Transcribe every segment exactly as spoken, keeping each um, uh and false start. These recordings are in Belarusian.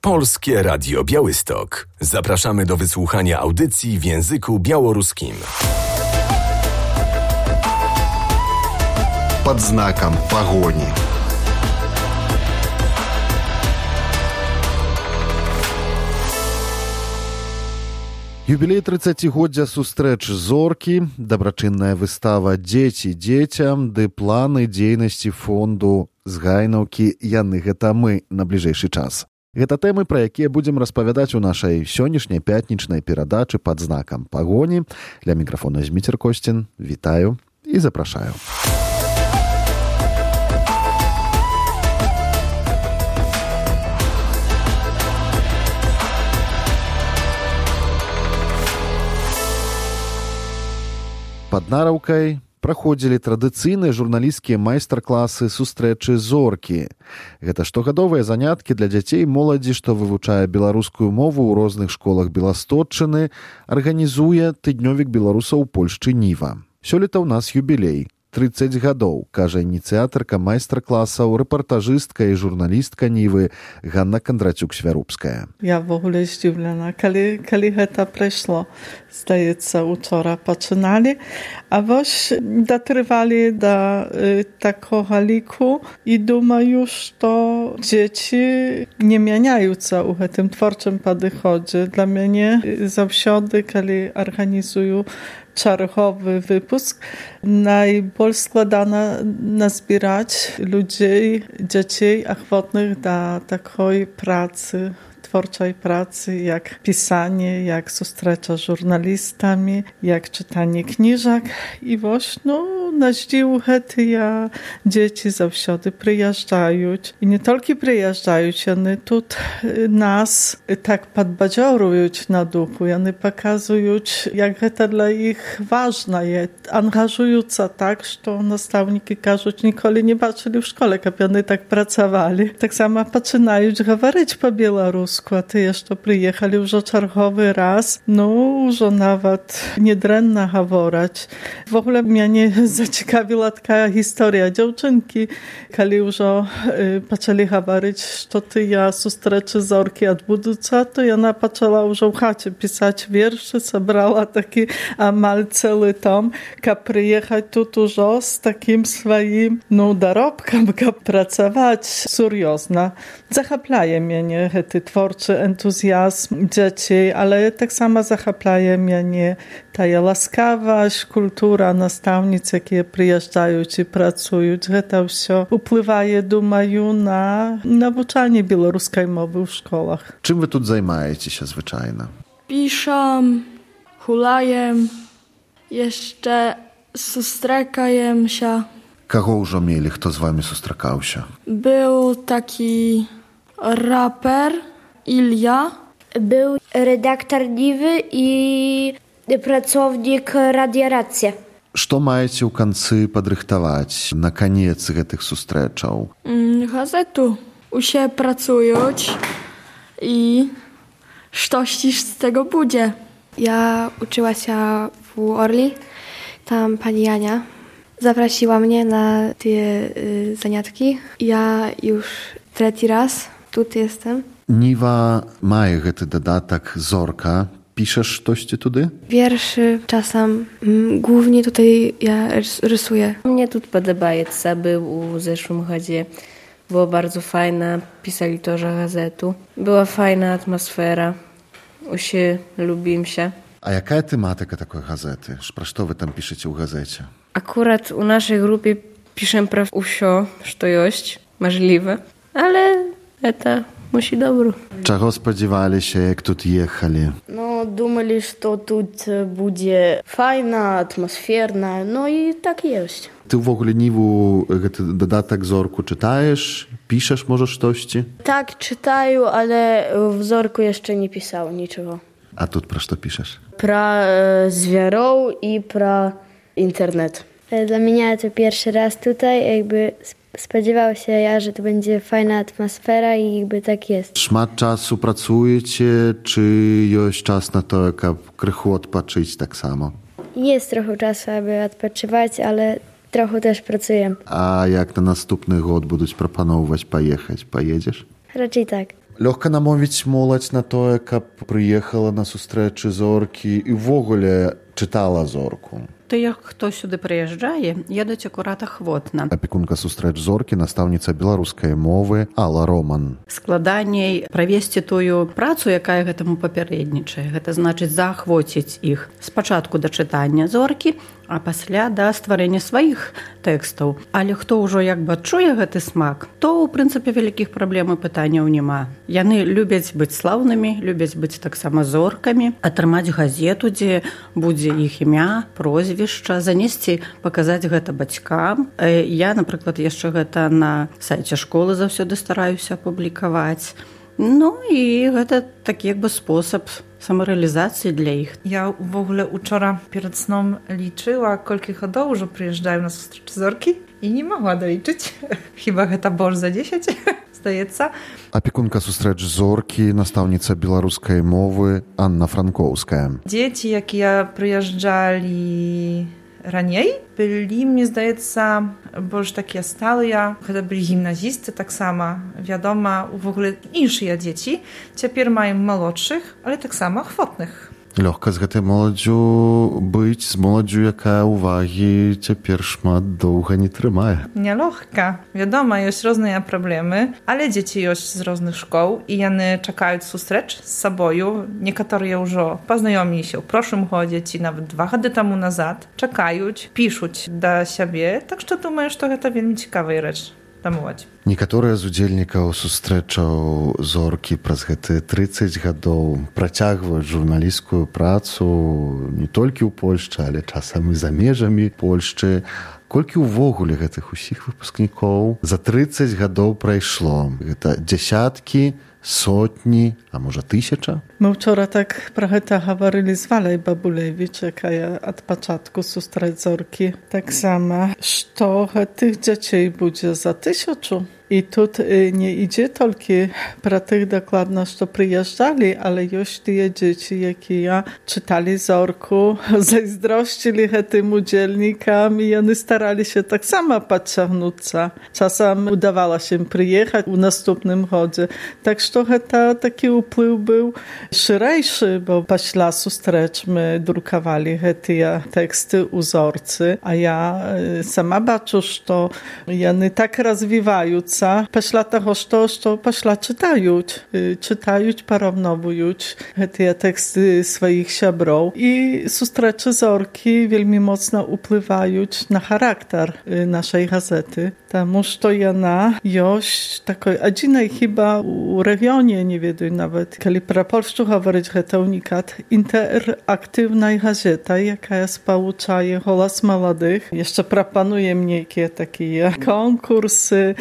Polskie Radio Białystok. Zapraszamy do wysłuchania audycji w języku białoruskim. Pod znakiem pogoni. Юбілей трыццацігоддзя сустрэч зоркі, дабрачынная выстава «Дзеці дзецям» ды планы дзейнасці фонду згайнаўкі «Яны гэта мы» на бліжэйшы час. Гэта тэмы, пра якія будзем распавядаць у нашай сённяшняй пятнічнай перадачы «Пад знакам пагоні». Ля мікрафона Зміцер Косцін. Вітаю і запрашаю. Пад Нараўкай праходзілі традыцыйныя журналісцкія майстар-класы сустрэчы зоркі. Гэта штогадовыя заняткі для дзяцей і моладзі, што вывучае беларускую мову ў розных школах Беластотчыны, арганізуе тыднёвік беларусаў у Польшчы Ніва. Сёлета ў нас юбілей. трыццаць гадоў, кажа ініцыятарка майстар-класаў, рэпартажыстка і журналістка Нівы Ганна Кандрацюк-Свярубская. Я в ogóle здзіўлена, калі, калі гэта прайшло. Здаецца, учора пачыналі, а вось датрывалі да y, такога ліку і думаю, што дзеці не мяняюцца ў гэтым творчым падыходзе. Dla мяне заўсёды, калі арганізую czarchowy wypust. Najbardziej składana nazbierać ludzi, dzieci ochotnych do takiej pracy, twórczej pracy, jak pisanie, jak zustrecza z żurnalistami, jak czytanie książek. I właśnie no, na zdził hety ja dzieci zawsze przyjeżdżają. I nie tylko przyjeżdżają, one tu nas tak podbadziorują na duchu. One pokazują, jak to dla ich ważne jest. Angażują się tak, że nastawniki każą, nigdy nie patrzyli w szkole, jak one tak pracowali. Tak samo zaczynają mówić po białorusku. A ty jeszcze przyjechali już czarchowy raz, no już nawet niedrenna говорить. W ogóle mnie zaciekawiła taka historia dziewczynki, kiedy już zaczęli mówić, że ty ja sustreczy zorki odbudуться, to ona zaczęła już w chacie pisać wiersze, zebrała taki amal cały tom, jak przyjechać tu już z takim swoim no, dorobkiem, jak pracować seriozno. Zachaplaje mnie te tworcze entuzjazm dzieci, ale tak samo zachaplaje mnie ta łaskawość, kultura nastavnic, jakie przyjeżdżają i pracują. To wszystko wpływa, думаю, na nauczanie białoruskiej mowy w szkołach. Czym wy tu zajmujecie się zwyczajnie? Piszę, hulaję, jeszcze sustrekaję się. Kogo już mieli, kto z wami sustrekał się? Był taki raper Ilja. Był redaktor Niwy i pracownik Radia Racja. Co macie u końcu podrychtować na koniec tych sustreczał? Gazetu. U się pracują i coś z tego będzie. Ja uczyła się w Orli. Tam pani Jania zaprosiła mnie na te y, zaniatki. Ja już trzeci raz tu jestem. Niwa ma ten dodatek Zorka. Piszesz coś tudy? Wierszy czasem. Mm, głównie tutaj ja rysuję. Mnie tu podobaється. Był u zeszłym chodzie. Było bardzo fajne. Pisali też gazetu. Była fajna atmosfera. Usie lubim się. A jaka tematyka takiej gazety? Co wy tam piszecie u gazecie? Akurat u naszej grupy piszemy praw usio, co jest możliwe. Ale to musi dobro. Czego spodziewali się, jak tu jechali? No, думали, że tu będzie fajna, atmosferna, no i tak jest. Ty w ogóle Niwu dodatek Zorku czytajesz? Piszesz może coś? Tak, czytaję, ale w Zorku jeszcze nie pisał niczego. A tu pro co piszesz? Про e, zwierząt i pro internet. Dla mnie to pierwszy raz tutaj, jakby spodziewał się ja, że to będzie fajna atmosfera i jakby tak jest. Szmat czasu pracujecie, czy jest czas na to, jak krychu odpocząć tak samo? Jest trochę czasu, aby odpoczywać, ale trochę też pracuję. A jak na następny rok będą proponować pojechać? Pojedziesz? Raczej tak. Лёгка намовіць моладзь на тое, каб прыехала на сустрэчы зоркі і ўвогуле чытала зорку. Тыя, хто сюды прыязджае, едуць акурат ахвотна. Апекунка сустрэч зоркі, настаўніца беларускай мовы Алла Роман. Складаней правесці тую працу, якая гэтаму папярэднічае. Гэта значыць заахвоціць іх спачатку да чытання зоркі, а пасля да стварэння сваіх тэкстаў. Але хто ўжо як бы адчуе гэты смак, то ў прынцыпе вялікіх праблем і пытанняў няма. Яны любяць быць слаўнымі, любяць быць таксама зоркамі, атрымаць газету, дзе будзе іх імя, прозвішча, занесці, паказаць гэта бацькам. Я, напрыклад, яшчэ гэта на сайце школы заўсёды стараюся апублікаваць. Ну і гэта такі як бы спосаб самарэалізацыі для іх. Я ўвогуле учора перад сном лічыла, колькі гадоў ужо прыязджаю на сустрэчы зоркі і не магла далічыць. Хіба гэта больш за дзесяць, здаецца. Апекунка сустрэч зоркі, настаўніца беларускай мовы Анна Франкоўская. Дзеці, якія прыязджалі раней, былі, мне здаецца, больш такія сталыя. Гэта былі гімназісты таксама. Вядома, увогуле іншыя дзеці. Цяпер маем малодшых, але таксама ахвотных. Лёгка з гэтай моладдзю быць, з моладдзю, якая ўвагі цяпер шмат доўга не трымае. Нялёгка. Вядома, ёсць розныя праблемы, але дзеці ёсць з розных школ, і яны чакаюць сустрэч з сабою. Некаторыя ўжо пазнаёміліся ў прошлым годзе ці нават два гады таму назад. Чакаюць, пішуць да сябе, так што думаю, што гэта вельмі цікавая рэч. Некаторыя з удзельнікаў сустрэчаў зоркі праз гэтыя трыццаць гадоў працягваюць журналісцкую працу не толькі ў Польшчы, але часам і за межамі Польшчы. Колькі ўвогуле гэтых усіх выпускнікоў за трыццаць гадоў прайшло? Гэта дзясяткі, сотні, а можа тысяча? Мы вчора так пра гэта гаварылі з Валяй Бабулевіч, якая ад пачатку сустрэч зоркі таксама, што гэтых дзяцей будзе за тысячу. I тут nie idzie tylko про tych dokładno, co przyjeżdżali, ale już te dzieci, jakie ja czytali zorku, zazdrościli tym udzielnikom i oni starali się tak samo podciągnąć. Czasem udawało się przyjechać w następnym chodzie. Tak, że to taki wpływ był szerszy, bo после sustrecz my drukowali te teksty uzorcy, a ja sama baczę, że oni tak rozwijają після того, що, що пішла читають. Читають, порівнюють ті тексти своїх сябров. І зустрічі зорки вельми моцно впливають на характер нашої газети. Тому що вона є такою єдиною хіба у регіоні, не відаю навіть, коли про Польщу говорить, це унікат, інтерактивна газета, яка сполучає голос молодих. Ще пропонує мені які такі конкурси,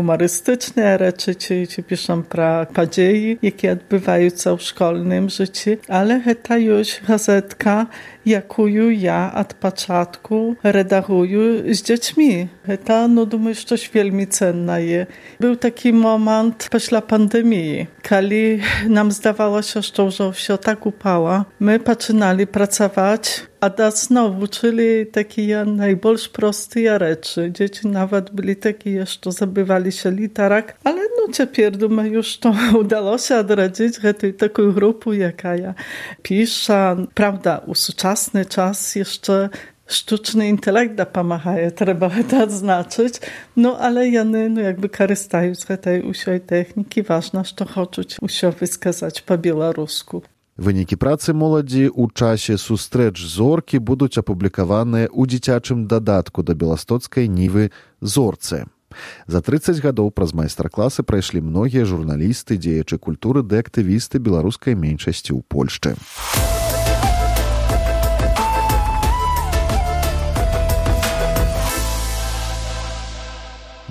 humorystyczne rzeczy, czy, czy piszą про події, які відбуваються в школьному житті. Але це już gazetka, яку я od początku redaguję z dziećmi. To, no думаю, coś wielmi cenne jest. Był taki moment po pandemii, kiedy nam zdawało się, że już wszystko tak upało. My zaczynali pracować, a da znowu, czyli takie najbardziej proste rzeczy. Dzieci nawet byli takie, że zabywali się literak, ale no teraz думаю, już to udało się odrodzić taką grupę, jaka ja piszę. Prawda, u współczesny czas jeszcze sztuczny intelekt dopomaga, trzeba to odznaczyć, no ale one no, jakby korzystają z tej usioj techniki. Ważne, że chcą usio wyskazać po białorusku. Wyнікі працы моладзі ў часе сустрэч зоркі будуць апублікаваныя ў дзіцячым дадатку да беластоцкай нівы «Зорцы». За трыццаць гадоў праз майстар-класы прайшлі многія журналісты, дзеячы культуры ды актывісты беларускай меншасці ў Польшчы.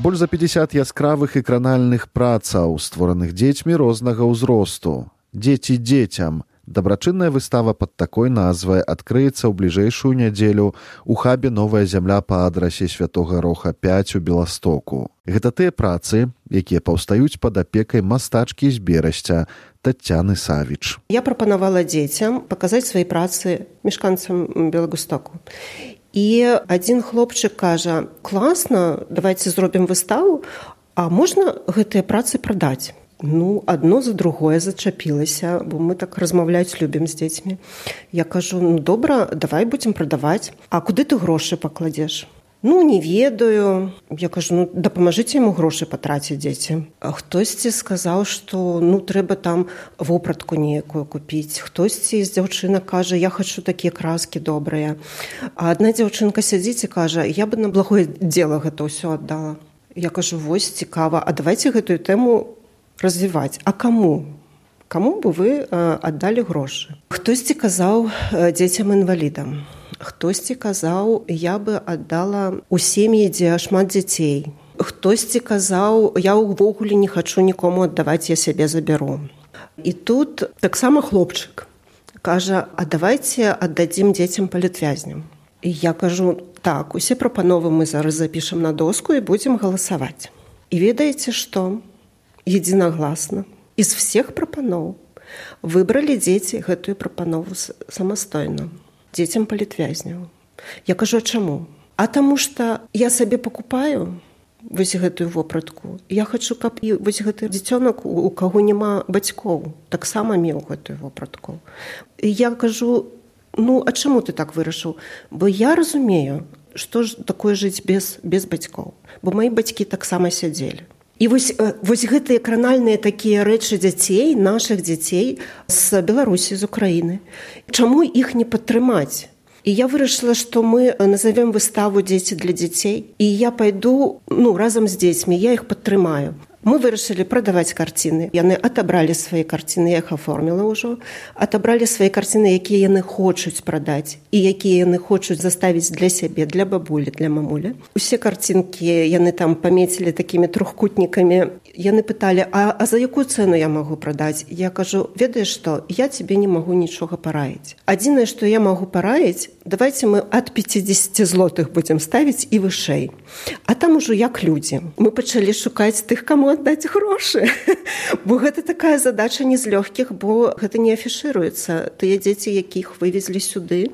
Больш за пятьдесят яскравых экранальных працаў, створаных дзецьмі рознага ўзросту. «Дзеці дзецям». Дабрачынная выстава пад такой назвай адкрыецца ў бліжэйшую нядзелю ў хабе «Новая зямля» па адрасе Святога Роха пяць у Беластоку. Гэта тыя працы, якія паўстаюць пад апекай мастачкі з Берасця Таццяны Савіч. Я прапанавала дзецям паказаць свае працы мешканцам Белагустоку. І адзін хлопчык кажа: «Класна, давайце зробім выставу, а можна гэтыя працы прадаць?» Ну, адно за другое зачапілася, бо мы так размаўляць любім з дзецьмі. Я кажу, ну, добра, давай будзем прадаваць. А куды ты грошы пакладзеш? Ну, не ведаю. Я кажу, ну, дапамажыце яму грошы патраціць, дзеці. А хтосьці сказаў, што, ну, трэба там вопратку нейкую купіць. Хтосьці з дзяўчынак кажа, я хачу такія краскі добрыя. А адна дзяўчынка сядзіць і кажа, я бы на благое дзела гэта ўсё аддала. Я кажу, вось, цікава, а давайце гэтую тэму развіваць. А каму? Каму бы вы э, аддалі грошы? Хтосьці казаў э, дзецям-інвалідам. Хтосьці казаў, я бы аддала ў сем'і, дзе шмат дзяцей. Хтосьці казаў, я ўвогуле не хачу нікому аддаваць, я сябе забяру. І тут таксама хлопчык кажа, а давайце аддадзім дзецям палітвязням. І я кажу, так, усе прапановы мы зараз запішам на доску і будзем галасаваць. І ведаеце што? Единогласно. Из всех прапаноў выбралі дзеці гэтую прапанову самастойна. Дзецям палітвязняў. Я кажу, а чаму? А таму што я сабе пакупаю вось гэтую вопратку. Я хачу, каб і вось гэты дзіцёнак, у каго няма бацькоў, таксама меў гэтую вопратку. І я кажу, ну, а чаму ты так вырашыў? Бо я разумею, што ж такое жыць без, без бацькоў. Бо мои бацькі таксама сядзелі. І вось, вось гэтыя кранальныя такія рэчы дзяцей, нашых дзяцей з Беларусі, з Украіны. Чаму іх не падтрымаць? І я вырашыла, што мы назовем выставу «Дзеці для дзяцей», і я пайду, ну, разам з дзецьмі, я іх падтрымаю. Мы вырашылі прадаваць карціны. Яны атабралі свае карціны, я іх аформіла ўжо. Атабралі свае карціны, якія яны хочуць прадаць і якія яны хочуць заставіць для сябе, для бабулі, для мамулі. Усе карцінкі яны там памецілі такімі трохкутнікамі. Яны пыталі, а, а за якую цэну я магу прадаць? Я кажу, ведаеш што, я цябе не магу нічога параіць. Адзінае, што я магу параіць, давайце мы ад пяцьдзесят злотых будзем ставіць і вышэй. А там ужо як людзі. Мы пачалі шукаць тых, каму аддаць грошы. Бо гэта такая задача не з лёгкіх, бо гэта не афішыруецца. Тыя дзеці, якіх вывезлі сюды,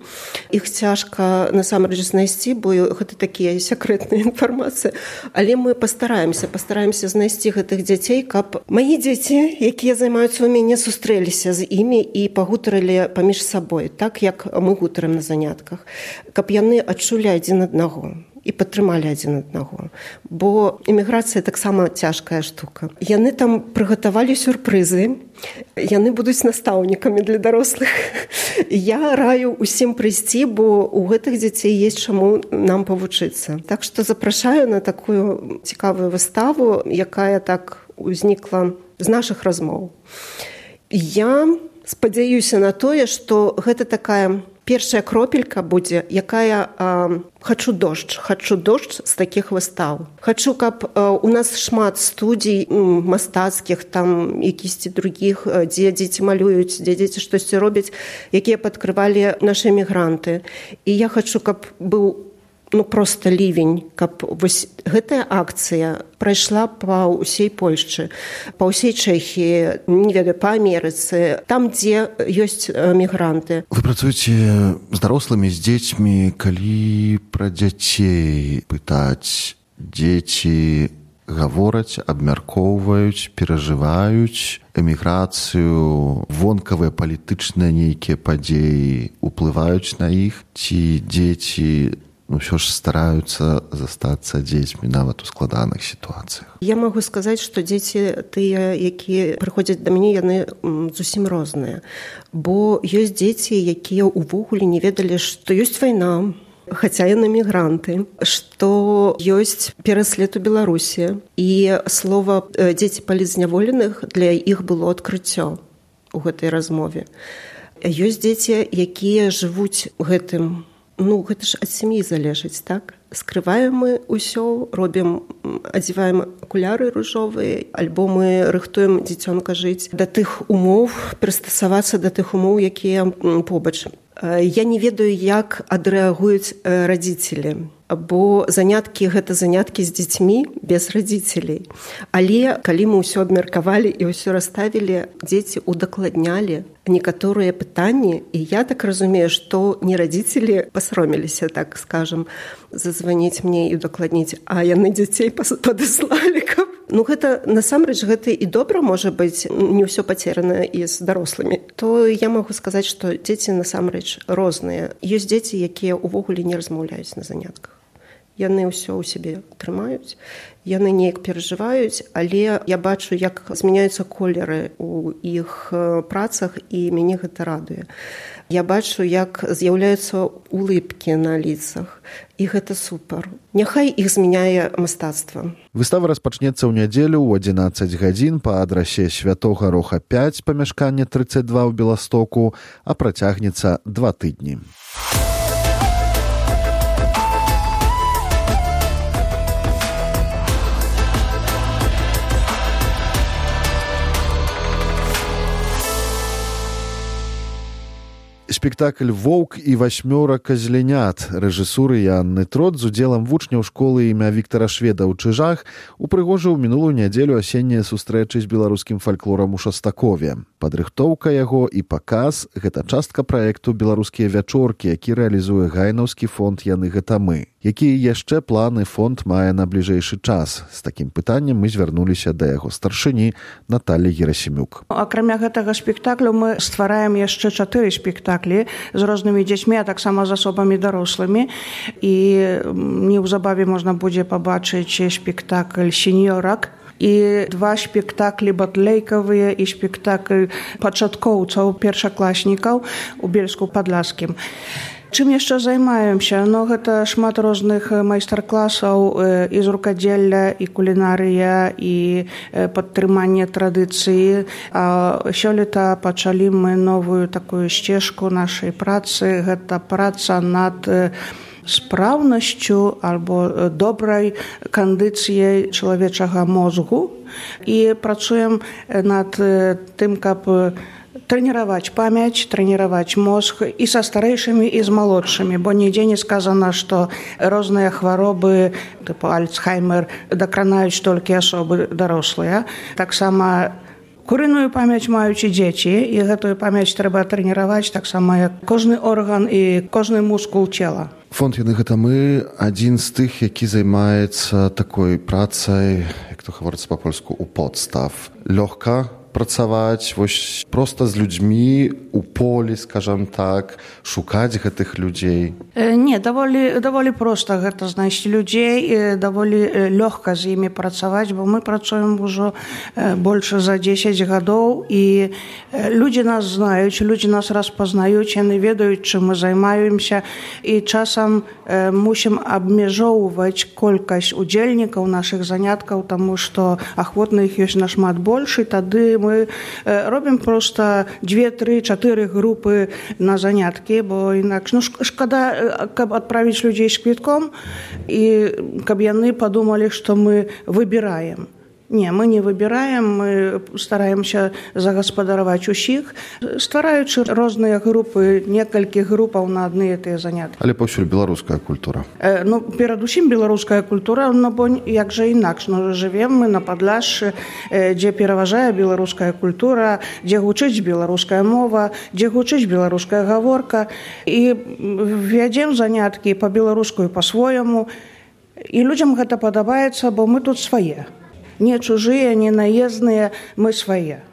іх цяжка насамрэч знайсці, бо гэта такія сакрэтная інфармацыя. Але мы пастараемся, пастараемся знайсці гэтых дзяцей, каб мае дзеці, якія займаюцца ў мяне, сустрэліся з імі і пагутарылі паміж сабой, так як мы гутарым на занятках, каб яны адчулі адзін аднаго і падтрымалі адзін аднаго. Бо эміграцыя таксама цяжкая штука. Яны там прыгатавалі сюрпрызы, яны будуць настаўнікамі для дарослых. Я раю усім прыйсці, бо у гэтых дзяцей есть чаму нам павучыцца. Так што запрашаю на такую цікавую выставу, якая так узнікла з нашых размоў. Я спадзяюся на тое, што гэта такая першая кропелька будзе, якая а, хачу дождж, хачу дождж з такіх выстаў. Хачу, каб а, у нас шмат студій м, мастацкіх, там якісьці другіх, дзе дзеці малююць, дзе дзеці штосьці робяць, якія падкрывалі нашы эмігранты. І я хачу, каб быў ну просто лівень, каб вось гэтая акцыя прайшла па ўсей Польшчы, па ўсей Чэхіі, не ведаю, па Амерыцы, там, дзе ёсць мігранты. Вы працуеце з дарослымі, з дзецьмі, калі пра дзяцей пытаць, дзеці гавораць, абмяркоўваюць, перажываюць эміграцыю, вонкавыя палітычныя нейкія падзеі уплываюць на іх, ці дзеці ну, ўсё ж стараюцца застацца дзецьмі нават у складаных сітуацыях. Я магу сказаць, што дзеці тыя, якія прыходзяць да мяне, яны зусім розныя. Бо ёсць дзеці, якія ўвогуле не ведалі, што ёсць вайна, хаця яны мігранты, што ёсць пераслед у Беларусі. І слова «дзеці палітзняволеных» для іх было адкрыццё у гэтай размове. Ёсць дзеці, якія жывуць гэтым. Ну, гэта ж ад сям'і залежыць, так? Скрываем мы ўсё, робім, адзяваем акуляры ружовыя, альбо мы рыхтуем дзіцёнка жыць да тых умоў, прыстасавацца да тых умоў, якія побач. Я не ведаю, як адрэагуюць радзіцелі, бо заняткі – гэта заняткі з дзецьмі без радзіцелей. Але калі мы ўсё абмеркавалі і ўсё расставілі, дзеці удакладнялі некаторыя пытанні, і я так разумею, што не радзіцелі пасаромеліся, так скажам, зазваніць мне і удакладніць, а яны дзяцей падаслалі, каб Ну гэта насамрэч гэта і добра можа быць, не ўсё пацерана і з дарослымі. То я магу сказаць, што дзеці насамрэч розныя. Ёсць дзеці, якія ўвогуле не размаўляюць на занятках. Яны ўсё ў сябе трымаюць, яны неяк перажываюць, але я бачу, як змяняюцца колеры ў іх працах, і мяне гэта радуе. Я бачу, як з'яўляюцца улыбкі на ліцах, і гэта супер. Няхай іх змяняе мастацтва. Выстава распачнецца ў нядзелю ў адзінаццаць гадзін па адрасе Святога Роха пяць, памяшканне трыццаць два ў Беластоку, а працягнецца два тыдні. Спектакль «Воўк і васьмёра казлянят» рэжысуры Анны Трот з удзелам вучняў школы імя Віктара Шведа ў Чыжах упрыгожыў мінулую нядзелю асеннія сустрэчы з беларускім фальклорам у Шастакове. Падрыхтоўка яго і паказ – гэта частка праекту «Беларускія вячоркі», які рэалізуе гайнаўскі фонд «Яны гэта мы». Якія яшчэ планы фонд мае на бліжэйшы час? З такім пытаннем мы звярнуліся да яго старшыні Наталі Герасімюк. Акрамя гэтага спектаклю мы ствараем яшчэ чатыры спектаклі з рознымі дзецьмі, а таксама з асобамі дарослымі. І неўзабаве можна будзе пабачыць спектакль «Сеньорак», і два спектаклі батлейкавыя і спектакль пачаткоўцаў, першакласнікаў у Бельску-Падляскім. Чым яшчэ займаемся? Ну, гэта шмат розных майстар-класаў і з рукадзелля, і кулінарыя, і падтрыманне традыцыі. А сёлета пачалі мы новую такую сцежку нашай працы. Гэта праца над спраўнасцю альбо добрай кандыцыяй чалавечага мозгу. І працуем над тым, каб трэніраваць памяць, трэніраваць мозг і са старэйшымі, і з малодшымі, бо нідзе не сказана, што розныя хваробы, тыпу Альцхаймер, дакранаюць толькі асобы дарослыя. Таксама курыную памяць маюць і дзеці, і гэтую памяць трэба трэніраваць таксама як кожны орган і кожны мускул цела. Фонд «Яны гэта мы» адзін з тых, які займаецца такой працай, як то гаворыцца па-польску, у подстав. Лёгка працаваць вось проста з людзьмі у полі, скажам так, шукаць гэтых людзей? Не, даволі, даволі проста гэта знайсці людзей, даволі лёгка з імі працаваць, бо мы працуем ужо больш за дзесяць гадоў, і людзі нас знаюць, людзі нас распазнаюць, яны ведаюць, чым мы займаемся, і часам мусім абмяжоўваць колькасць удзельнікаў нашых заняткаў, таму што ахвотных ёсць нашмат больш, і тады мы робім проста дзве, тры, чатыры групы на заняткі, бо інакш, ну, шкада, каб адправіць людзей з квітком, і каб яны падумалі, што мы выбіраем. Не, мы не выбіраем, мы стараемся загаспадараваць усіх, ствараючы розныя групы, некалькі групаў на адны і тыя заняткі. Але паўсюль беларуская культура. Э, ну, перадусім беларуская культура, ну, бо як жа інакш, ну, жывем мы на Падляшшы, э, дзе пераважае беларуская культура, дзе гучыць беларуская мова, дзе гучыць беларуская гаворка, і вядзем заняткі па-беларуску і па-свойму, і людзям гэта падабаецца, бо мы тут свае. Не чужыя, не наездныя, мы свае.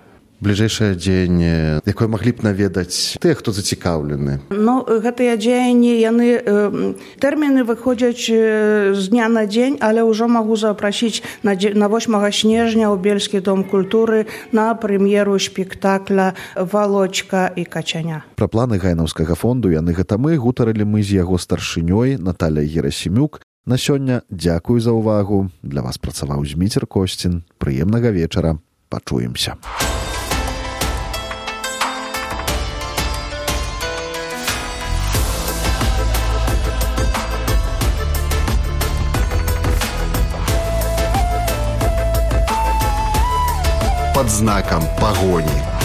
Бліжэйшае дзеянне, якое маглі б наведаць тыя, хто зацікаўлены? Ну, гэтыя дзеянні, яны, э, тэрміны выходзяць э, з дня на дзень, але ўжо магу запрасіць на, на восьмага снежня ў Бельскі дом культуры на прэм'еру спектакля «Валочка і качаня». Пра планы гайнаўскага фонду «Яны гэта мы» гутарылі мы з яго старшынёй Наталяй Герасімюк. На сёння дзякую за ўвагу. Для вас працаваў Зміцер Косцін. Прыемнага вечара. Пачуемся. Под знаком погони.